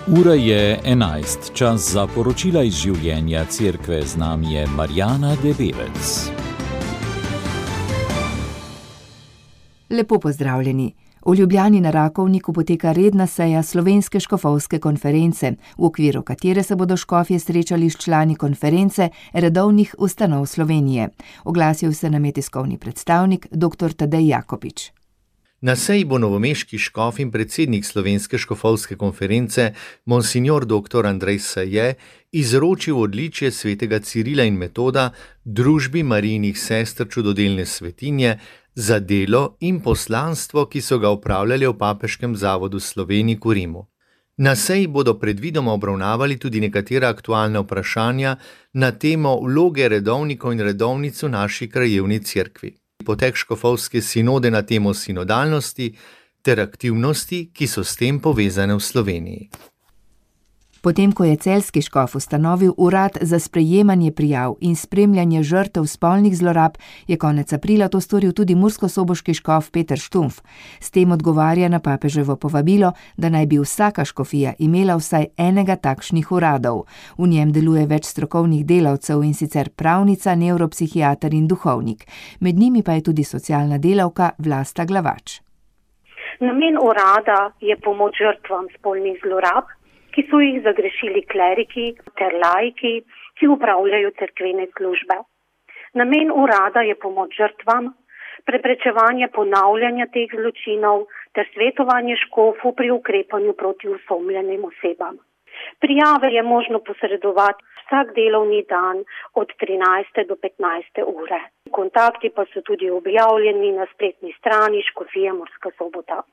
Ura je 11, čas za poročila iz življenja cerkve. Z nami je Marjana Debevec. Lepo pozdravljeni. V Ljubljani na Rakovniku poteka redna seja Slovenske škofovske konference, v okviru katere se bodo škofje srečali s člani konference redovnih ustanov Slovenije. Oglasil se nam je tiskovni predstavnik dr. Tadej Jakopič. Na seji bo novomeški škof in predsednik Slovenske škofovske konference, monsignor dr. Andrej Saje, izročil odličje svetega Cirila in Metoda družbi Marijinih sester čudodelne svetinje za delo in poslanstvo, ki so ga opravljali v Papeškem zavodu Sloveniji v Rimu. Na seji bodo predvidoma obravnavali tudi nekatera aktualna vprašanja na temo vloge redovnikov in redovnic v naši krajevni cerkvi. Potek škofovske sinode na temo sinodalnosti ter aktivnosti, ki so s tem povezane v Sloveniji. Potem, ko je celjski škof ustanovil urad za sprejemanje prijav in spremljanje žrtev spolnih zlorab, je konec aprila to storil tudi murskosoboški škof Peter Štumpf. S tem odgovarja na papeževo povabilo, da naj bi vsaka škofija imela vsaj enega takšnih uradov. V njem deluje več strokovnih delavcev, in sicer pravnica, nevropsihiater in duhovnik. Med njimi pa je tudi socialna delavka Vlasta Glavač. Namen urada je pomoč žrtvam spolnih zlorab, ki so jih zagrešili kleriki ter laiki, ki upravljajo cerkvene službe. Namen urada je pomoč žrtvam, preprečevanje ponavljanja teh zločinov ter svetovanje škofu pri ukrepanju proti osumljenim osebam. Prijave je možno posredovati vsak delovni dan od 13. do 15. ure. Kontakti pa so tudi objavljeni na spletni strani Škofije Murska Sobota.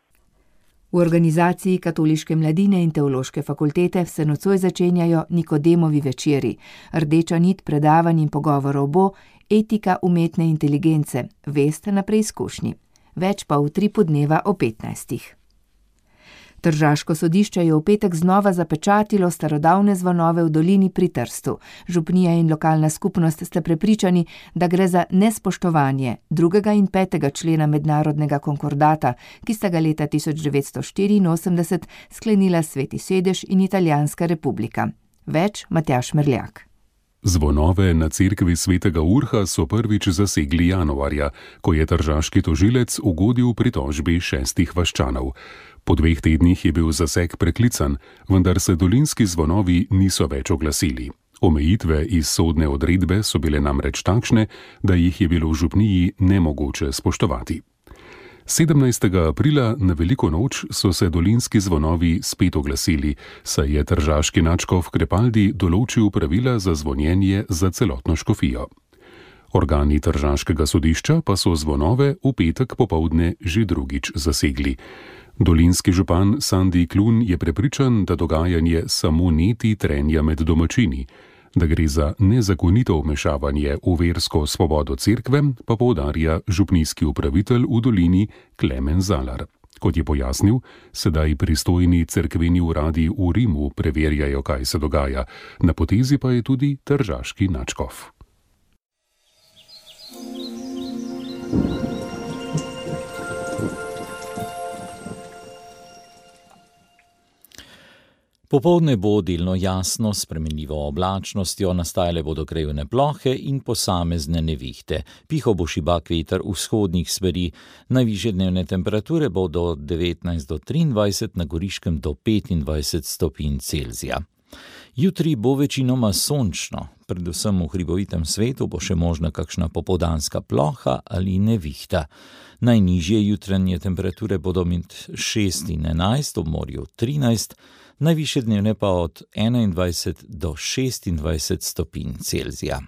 V organizaciji Katoliške mladine in Teološke fakultete se nocoj začenjajo Nikodemovi večeri. Rdeča nit predavanj in pogovorov bo etika umetne inteligence, vest na preizkušnji. Več pa v utripu dneva o 15. Tržaško sodišče je v petek znova zapečatilo starodavne zvonove v dolini pri Trstu. Župnija in lokalna skupnost sta prepričani, da gre za nespoštovanje 2. in 5. člena mednarodnega konkordata, ki sta ga leta 1984 sklenila Sveti sedež in Italijanska republika. Več Matjaž Merljak. Zvonove na cerkvi svetega Urha so prvič zasegli januarja, ko je tržaški tožilec ugodil pritožbi 6 vaščanov. Po 2 tednih je bil zaseg preklican, vendar se dolinski zvonovi niso več oglasili. Omejitve iz sodne odredbe so bile namreč takšne, da jih je bilo v župniji nemogoče spoštovati. 17. aprila na veliko noč so se dolinski zvonovi spet oglasili, saj je tržaški nadškof Krepaldi določil pravila za zvonjenje za celotno škofijo. Organi tržaškega sodišča pa so zvonove v petek popoldne že drugič zasegli. Dolinski župan Sandi Klun je prepričan, da dogajanje samo neti trenja med domačini. Da gre za nezakonito vmešavanje v versko svobodo cerkve, pa poudarja župnijski upravitelj v dolini Klemen Zalar. Kot je pojasnil, sedaj pristojni cerkveni uradi v Rimu preverjajo, kaj se dogaja. Na potezi pa je tudi tržaški nadškof. Popoldne bo delno jasno, s spremenljivo oblačnostjo, nastajale bodo krajevne plohe in posamezne nevihte. Pihal bo šibak veter vzhodnih smeri, najvišje dnevne temperature bodo od 19 do 23, na Goriškem do 25 stopinj Celzija. Jutri bo večinoma sončno, predvsem v hribovitem svetu bo še možna kakšna popoldanska ploha ali nevihta. Najnižje jutranje temperature bodo med 6 in 11, ob morju 13, najvišje dnevne pa od 21 do 26 stopinj Celzija.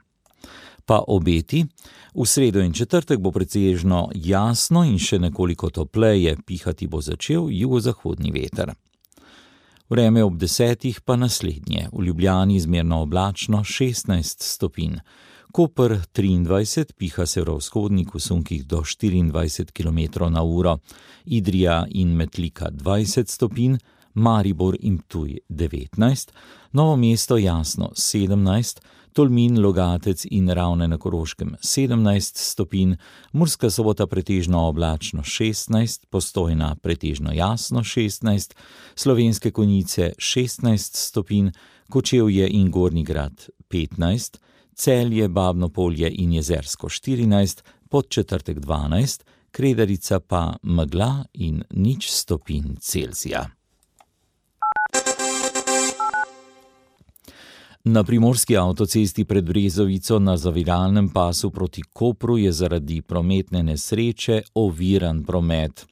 Pa obeti, v sredo in četrtek bo pretežno jasno in še nekoliko topleje, pihati bo začel jugozahodni veter. Vreme ob 10 pa naslednje, v Ljubljani zmerno oblačno 16 stopinj, Koper 23, piha severovzhodnik v sunkih do 24 km/h, Idrija in Metlika 20 stopinj, Maribor in Ptuj 19, Novo mesto Jasno 17, Tolmin, Logatec in Ravne na Koroškem 17 stopinj, Murska Sobota pretežno oblačno 16, Postojna pretežno jasno 16, Slovenske Konjice 16 stopinj, Kočevje in Gornji Grad 15, Celje, Babno Polje in Jezersko 14, Podčetrtek 12, Kredarica pa megla in 0 stopinj Celzija. Na primorski avtocesti pred Brezovico na zaviralnem pasu proti Kopru je zaradi prometne nesreče oviran promet.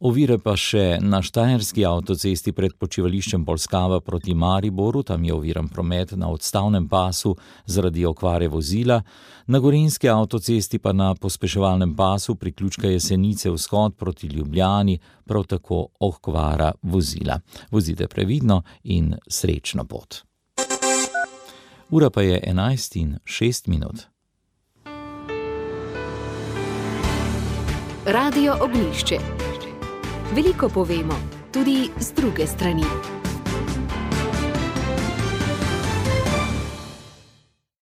Ovire pa še na štajerski avtocesti pred počivališčem Polskava proti Mariboru, tam je oviran promet na odstavnem pasu zaradi okvare vozila, na gorenjski avtocesti pa na pospeševalnem pasu priključka Jesenice vzhod proti Ljubljani, prav tako okvara vozila. Vozite previdno in srečno pot. Ura pa je 11:06. Radio Ognjišče. Veliko povemo, tudi z druge strani.